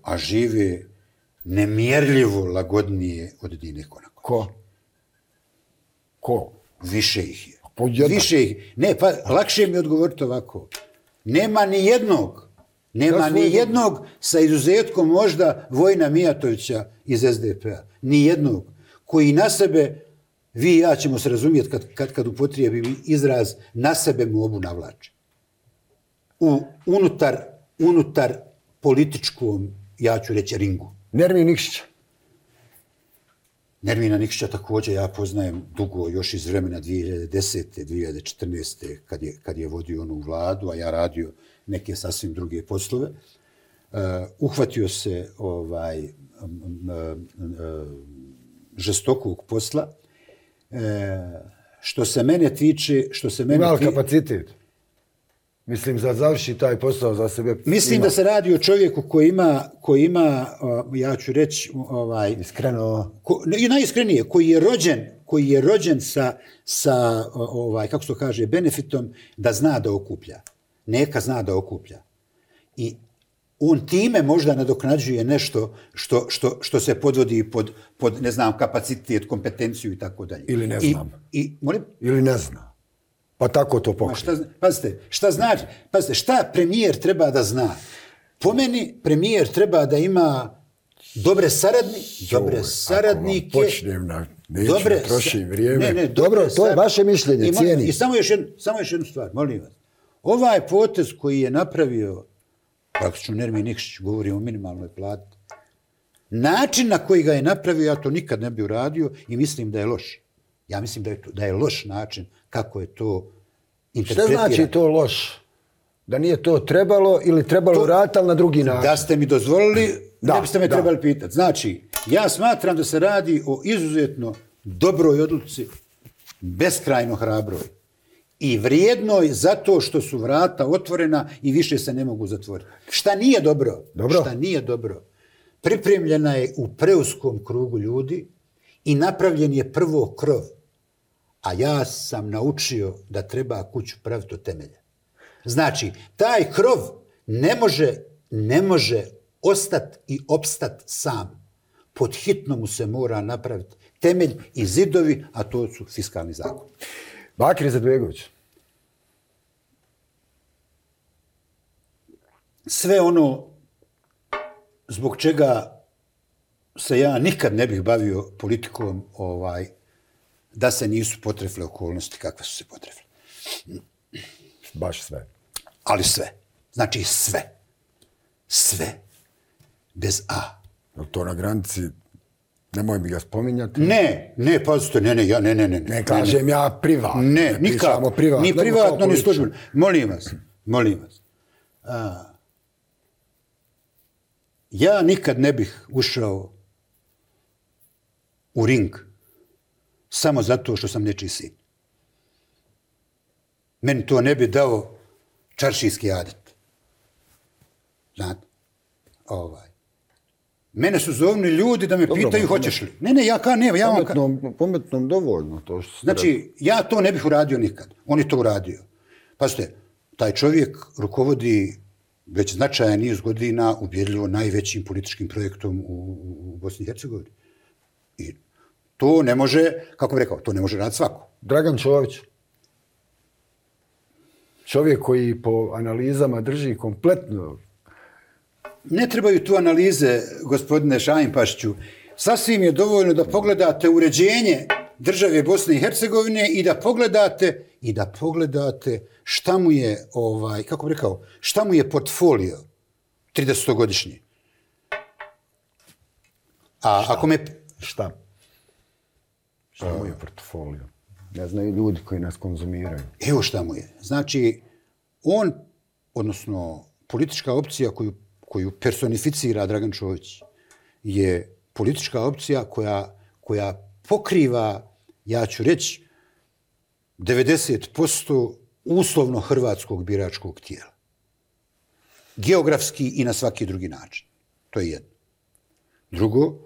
[SPEAKER 2] a žive nemjerljivo lagodnije od Dine Konakovića.
[SPEAKER 1] Ko?
[SPEAKER 2] Više ih je. Više ih. Ne, pa lakše mi odgovoriti ovako. Nema ni jednog sa izuzetkom možda Vojina Mijatovića iz SDP-a. Ni jednog. Koji na sebe, vi i ja ćemo se razumjeti kad upotrijebim izraz, na sebe mobu navlače. Unutar političkom, ja ću reći, ringu.
[SPEAKER 1] Nermin Nikšića.
[SPEAKER 2] Nermina Nikšića također ja poznajem dugo, još iz vremena 2010. 2014. kad je vodio onu vladu, a ja radio neke sasvim druge poslove. Uhvatio se žestokog posla. Što se mene tiče...
[SPEAKER 1] Ima kapacitet? Mislim, završi taj posao za sebe.
[SPEAKER 2] Mislim da se radi o čovjeku koji ima, ja ću reći...
[SPEAKER 1] Iskreno...
[SPEAKER 2] Najiskrenije, koji je rođen sa kako se to kaže, benefitom da zna da okuplja. Neka zna da okuplja. I on time možda nadoknađuje nešto što se podvodi pod ne znam, kapacitet, kompetenciju i tako dalje.
[SPEAKER 1] Ili ne znam.
[SPEAKER 2] Molim?
[SPEAKER 1] Ili ne zna. Pa tako to pokrije.
[SPEAKER 2] Pazite, šta znači? Pazite, šta premijer treba da zna? Po meni premijer treba da ima dobre saradnike.
[SPEAKER 1] Ako počnem neću trošim vrijeme.
[SPEAKER 2] Dobro,
[SPEAKER 1] to je vaše mišljenje, cijenim.
[SPEAKER 2] I samo još jednu stvar, molim vas. Ovaj potez koji je napravio, praktično Nermin Nikšić, govorim o minimalnoj plati, način na koji ga je napravio, ja to nikad ne bi uradio i mislim da je loš. Ja mislim da je loš način kako je to interpretirano.
[SPEAKER 1] Šta znači to loš? Da nije to trebalo ili trebalo uraditi, ali na drugi način?
[SPEAKER 2] Da ste mi dozvolili, ne biste me trebali pitati. Znači, ja smatram da se radi o izuzetno dobroj odluci, beskrajno hrabroj i vrijednoj zato što su vrata otvorena i više se ne mogu zatvoriti. Šta nije dobro? Šta nije dobro? Pripremljena je u preuskom krugu ljudi i napravljen je prvo krov. A ja sam naučio da treba kuću praviti od temelja. Znači, taj krov ne može ostati i opstati sam. Pod hitno mu se mora napraviti temelj i zidovi, a to su fiskalni zakon.
[SPEAKER 1] Bakir Izetbegović.
[SPEAKER 2] Sve ono zbog čega se ja nikad ne bih bavio politikom, da se nisu potrefile okolnosti kakve su se potrefile.
[SPEAKER 1] Baš sve.
[SPEAKER 2] Ali sve. Znači sve. Sve. Bez A.
[SPEAKER 1] To na granici, nemoj mi ga spominjati.
[SPEAKER 2] Ne, pazite, ne.
[SPEAKER 1] Ne kažem ja privatno.
[SPEAKER 2] Ne, nikako. Ni privatno, ni službeno. Molim vas. Ja nikad ne bih ušao u ring samo zato što sam nečiji sin. Meni to ne bi dao čaršijski adet. Znate? Mene su zovni ljudi da me pitaju hoćeš li. Ne, ja kao ne.
[SPEAKER 1] Pametnom dovoljno to što ste
[SPEAKER 2] znači, ja to ne bih uradio nikad. On je to uradio. Pazite, taj čovjek rukovodi već značajan niz godina ubjedljivo najvećim političkim projektom u Bosni i Hercegovini. I To ne može, kako bih rekao, to ne može raditi svako.
[SPEAKER 1] Dragan Čović. Čovjek koji po analizama drži kompletno.
[SPEAKER 2] Ne trebaju tu analize, gospodine Šajnpašiću. Sasvim je dovoljno da pogledate uređenje države Bosne i Hercegovine i da pogledate šta mu je, kako bih rekao, šta mu je portfolio 30-godišnji. A ako me...
[SPEAKER 1] Šta mu je portfolio? Ne znaju ljudi koji nas konzumiraju.
[SPEAKER 2] Evo šta mu je. Znači, on, odnosno politička opcija koju personificira Dragan Čović, je politička opcija koja pokriva, ja ću reći, 90% uslovno hrvatskog biračkog tijela. Geografski i na svaki drugi način. To je jedno. Drugo,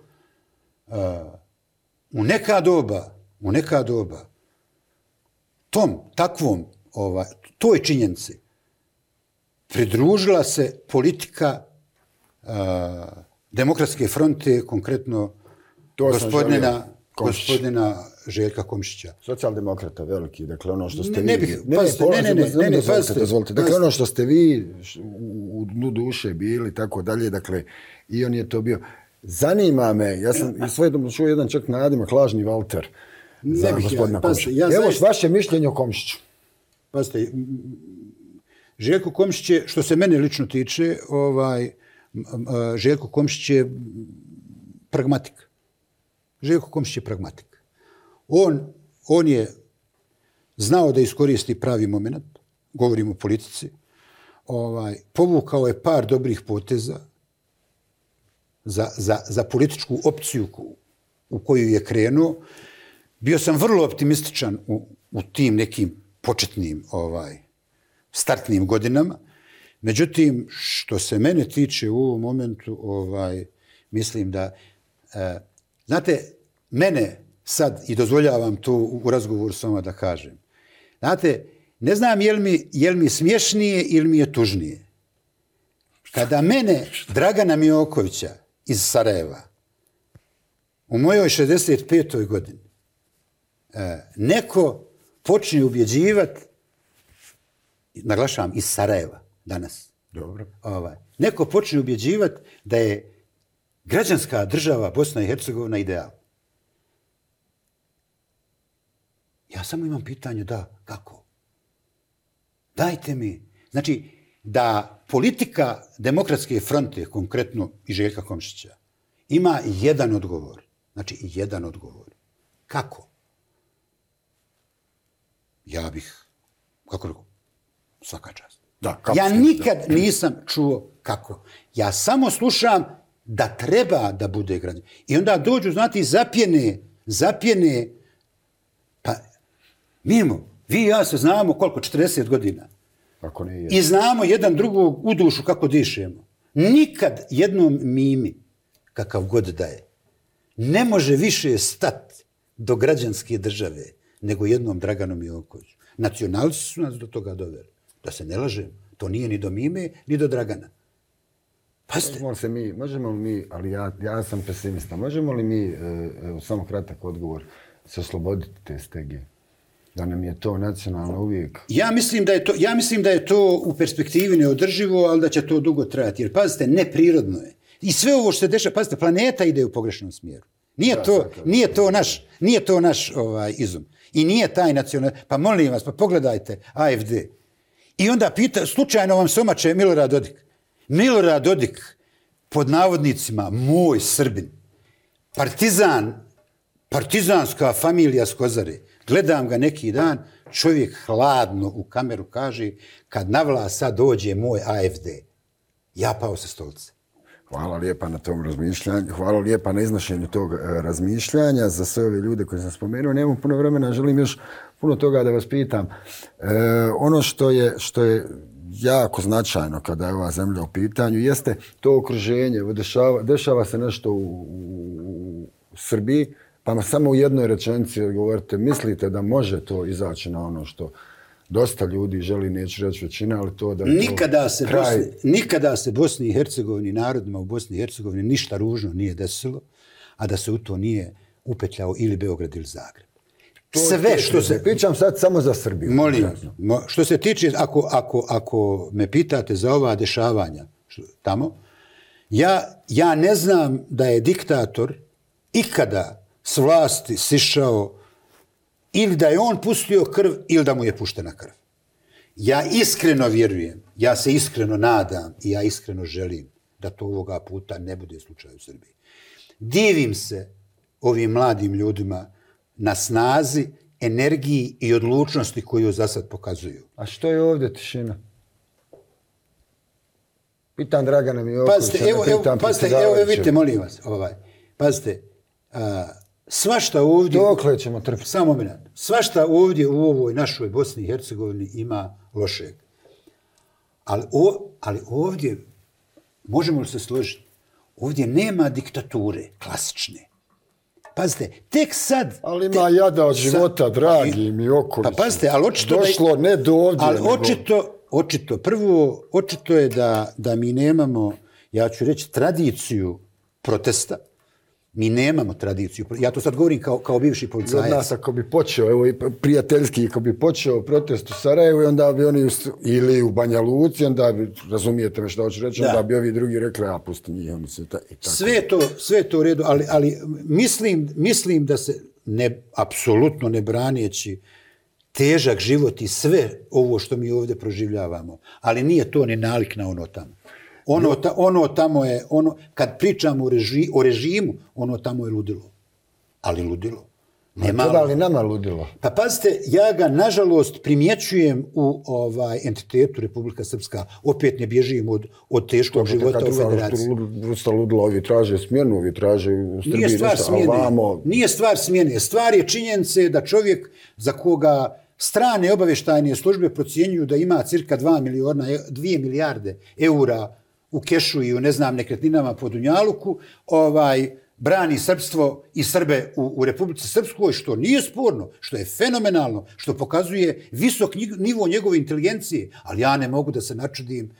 [SPEAKER 2] u neka doba toj činjenici pridružila se politika Demokratske fronte, konkretno gospodina Željka Komšića.
[SPEAKER 1] Socijaldemokrata veliki, dakle ono što ste
[SPEAKER 2] Dozvolite.
[SPEAKER 1] Dakle ono što ste vi u dnu duše bili, tako dalje, dakle i on je to bio. Zanima me, ja sam i svojedobno čuo jedan čak nadimak lažni Valter za gospodina Komšića. Evo vaše mišljenje o Komšiću.
[SPEAKER 2] Pazite, Željko Komšić je, što se mene lično tiče, Željko Komšić je pragmatik. On je znao da iskoristi pravi moment, govorim o politici, povukao je par dobrih poteza za političku opciju u koju je krenuo. Bio sam vrlo optimističan u tim nekim početnim startnim godinama. Međutim, što se mene tiče u ovom momentu, mislim da, znate, mene sad, i dozvoljavam to u razgovoru s vama da kažem, znate, ne znam je li mi smješnije ili mi je tužnije. Kada mene, Dragana Miokovića iz Sarajeva, u mojoj 65. godini, neko počne ubjeđivati, naglašavam, iz Sarajeva danas.
[SPEAKER 1] Dobro.
[SPEAKER 2] Neko počne ubjeđivati da je građanska država Bosna i Hercegovina ideal. Ja samo imam pitanje, kako? Dajte mi. Znači, da politika Demokratske fronte, konkretno i Željka Komšića, ima jedan odgovor. Znači, jedan odgovor. Kako? Ja bih, kako rekao, svaka čast. Ja nikad nisam čuo kako. Ja samo slušam da treba da bude građan. I onda dođu, znate, zapjene, pa mimo, vi i ja se znamo koliko, 40 godina.
[SPEAKER 1] Ako ne je.
[SPEAKER 2] I znamo jedan drugog u dušu kako dišemo. Nikad jednom mimi, kakav god da je, ne može više stati do građanske države nego jednom Draganu Miokoviću. Nacionalci su nas do toga doveli. Da se ne lažem, to nije ni do Mime, ni do Dragana.
[SPEAKER 1] Možemo li mi, ali ja sam pesimista, možemo li mi, samo kratak odgovor, se osloboditi te stege? Da nam je to nacionalno uvijek...
[SPEAKER 2] Ja mislim da je to u perspektivi neodrživo, ali da će to dugo trajati. Jer, pazite, neprirodno je. I sve ovo što se dešava, pazite, planeta ide u pogrešnom smjeru. Nije to naš izum. I nije taj nacional... Pa molim vas, pa pogledajte AFD. I onda slučajno vam se omače Milorad Dodik. Milorad Dodik, pod navodnicima, moj Srbin, partizanska familija s Kozare. Gledam ga neki dan, čovjek hladno u kameru kaže, kad na vlast sad dođe moj AFD. Ja pao sa stolice.
[SPEAKER 1] Hvala lijepa na tom razmišljanju, hvala lijepa na iznošenju tog razmišljanja za sve ove ljude koje sam spomenuo. Nemam puno vremena, želim još puno toga da vas pitam. Ono što je jako značajno kada je ova zemlja u pitanju jeste to okruženje. Dešava se nešto u Srbiji, pa samo u jednoj rečenici govorite, mislite da može to izaći na ono što dosta ljudi želi, neću reći većina, ali to da je
[SPEAKER 2] Nikada se Bosni i Hercegovini, narodima u Bosni i Hercegovini ništa ružno nije desilo, a da se u to nije upetljao ili Beograd ili Zagreb.
[SPEAKER 1] Sve što se... Pričam sad samo za Srbiju.
[SPEAKER 2] Molim, što se tiče, ako me pitate za ova dešavanja tamo, ja ne znam da je diktator ikada s vlasti sišao ili da je on pustio krv ili da mu je puštena krv. Ja iskreno vjerujem, ja se iskreno nadam i ja iskreno želim da to ovoga puta ne bude slučaj u Srbiji. Divim se ovim mladim ljudima na snazi, energiji i odlučnosti koju za sad pokazuju.
[SPEAKER 1] A što je ovdje tišina? Pitam Dragana Mijokovića,
[SPEAKER 2] pazite, evo vidite, molim vas. Pazite, svašta ovdje...
[SPEAKER 1] Dokle ćemo trpiti?
[SPEAKER 2] Samo minut. Svašta ovdje u ovoj našoj Bosni i Hercegovini ima lošeg. Ali ovdje, možemo li se složiti, ovdje nema diktature klasične. Pazite, tek sad...
[SPEAKER 1] Ali ima jada od života, dragi Mijoković.
[SPEAKER 2] Pa pazite, ali očito...
[SPEAKER 1] Došlo ne do ovdje.
[SPEAKER 2] Ali očito je da mi nemamo, ja ću reći, tradiciju protesta. Mi nemamo tradiciju. Ja to sad govorim kao bivši policajac.
[SPEAKER 1] Od nas ako bi počeo, evo prijateljski, ako bi počeo protest u Sarajevu, onda bi oni, ili u Banja Luci, onda bi, razumijete me što hoću reći, onda bi ovi drugi rekli, a pusti njih, oni se tako.
[SPEAKER 2] Sve je to u redu, ali mislim da se, apsolutno ne braneći težak život i sve ovo što mi ovdje proživljavamo, ali nije to ni nalik na ono tamo. Ono tamo je, kad pričamo o režimu, ono tamo je ludilo. Ali ludilo.
[SPEAKER 1] Treba li nama ludilo?
[SPEAKER 2] Pa pazite, ja ga nažalost primjećujem u entitetu Republika Srpska. Opet ne bježim od teškog života u federaciji.
[SPEAKER 1] Vrsta ludilo, ovi traže smjenu, ovi traže u Srbiji.
[SPEAKER 2] Nije stvar smjene. Stvar je činjenice da čovjek za koga strane obavještajne službe procjenjuju da ima cirka 2 milijarde eura u kešu i u, ne znam, nekretninama po Dunjaluku, brani srpstvo i Srbe u Republici Srpskoj, što nije sporno, što je fenomenalno, što pokazuje visok nivo njegove inteligencije, ali ja ne mogu da se načudim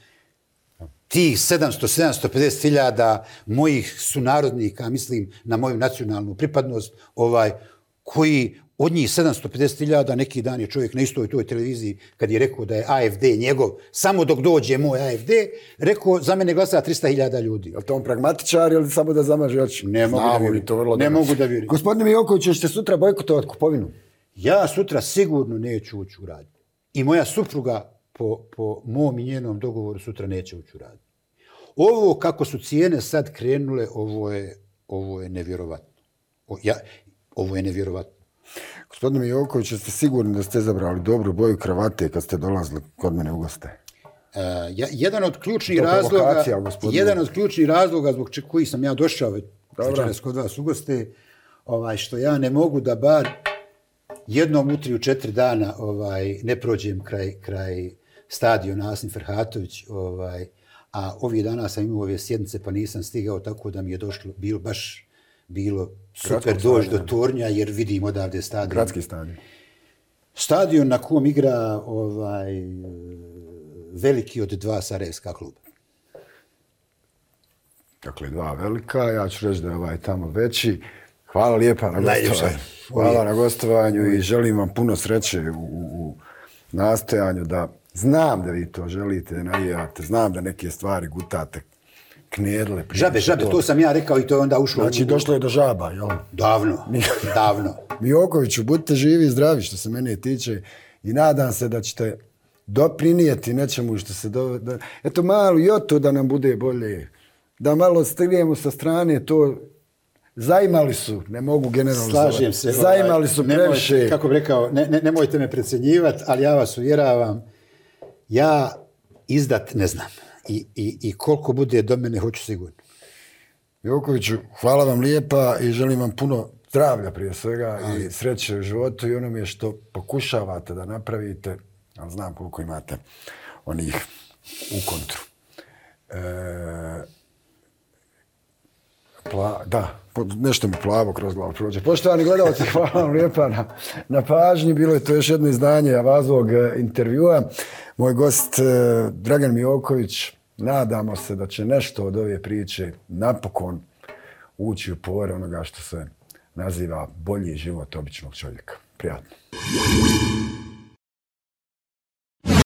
[SPEAKER 2] tih 750 hiljada mojih sunarodnika, mislim na moju nacionalnu pripadnost, koji od njih 750.000, neki dan je čovjek na istoj toj televiziji, kad je rekao da je AFD njegov, samo dok dođe moj AFD, rekao, za mene glasa 300.000 ljudi.
[SPEAKER 1] Je li to on pragmatičar ili samo da zamaže oči?
[SPEAKER 2] Ne mogu da vjerujem.
[SPEAKER 1] Gospodine Mijoković, ćete sutra bojkotovati kupovinu?
[SPEAKER 2] Ja sutra sigurno neću ući u radnju. I moja supruga, po mom i njenom dogovoru, sutra neće ući u radnju. Ovo kako su cijene sad krenule, ovo je nevjerovatno. Ovo je nevjerovatno.
[SPEAKER 1] Gospodine Mijoković, ste sigurni da ste izabrali dobru boju kravate kad ste dolazili kod mene u goste?
[SPEAKER 2] Jedan od ključnih razloga zbog kojih sam ja došao večeras kod vas u goste, što ja ne mogu da bar jednom u 3 u 4 dana ne prođem kraj stadiona Asim Ferhatović, a ovih dana sam imao ove sjednice pa nisam stigao, tako da mi je bilo super doći do Tornja, jer vidim odavde stadion.
[SPEAKER 1] Gradski stadion.
[SPEAKER 2] Stadion na kom igra veliki od 2 sarajevska kluba.
[SPEAKER 1] Dakle, 2 velika, ja ću reći da je tamo veći. Hvala lijepa na gostovanju. Hvala na gostovanju i želim vam puno sreće u nastojanju da znam da vi to želite, navijate, znam da neke stvari gutate. Knedle.
[SPEAKER 2] Žabe, to sam ja rekao i to je onda ušlo.
[SPEAKER 1] Znači, došlo je do žaba, jel?
[SPEAKER 2] Davno.
[SPEAKER 1] Mijokoviću, budite živi i zdravi što se mene tiče i nadam se da ćete doprinijeti nečemu što se... Eto, malo joto da nam bude bolje. Da malo stignemo sa strane, to... Zaimali su, ne mogu generalizovati.
[SPEAKER 2] Slažem se.
[SPEAKER 1] Zaimali su previše.
[SPEAKER 2] Kako bih rekao, nemojte me precjenjivati, ali ja vas uvjeravam, ja izdat ne znam. I koliko bude do mene, hoću sigurno.
[SPEAKER 1] Jokoviću, hvala vam lijepa i želim vam puno zdravlja prije svega i sreće u životu i onome što pokušavate da napravite, ali znam koliko imate onih u kontru. Nešto mi plavo kroz glavu prođe. Poštovani gledalci, hvala vam lijepa na pažnji. Bilo je to još jedno izdanje Avazovog intervjua. Moj gost Dragan Mijoković, nadamo se da će nešto od ove priče napokon ući u pore onoga što se naziva bolji život običnog čovjeka. Prijatno.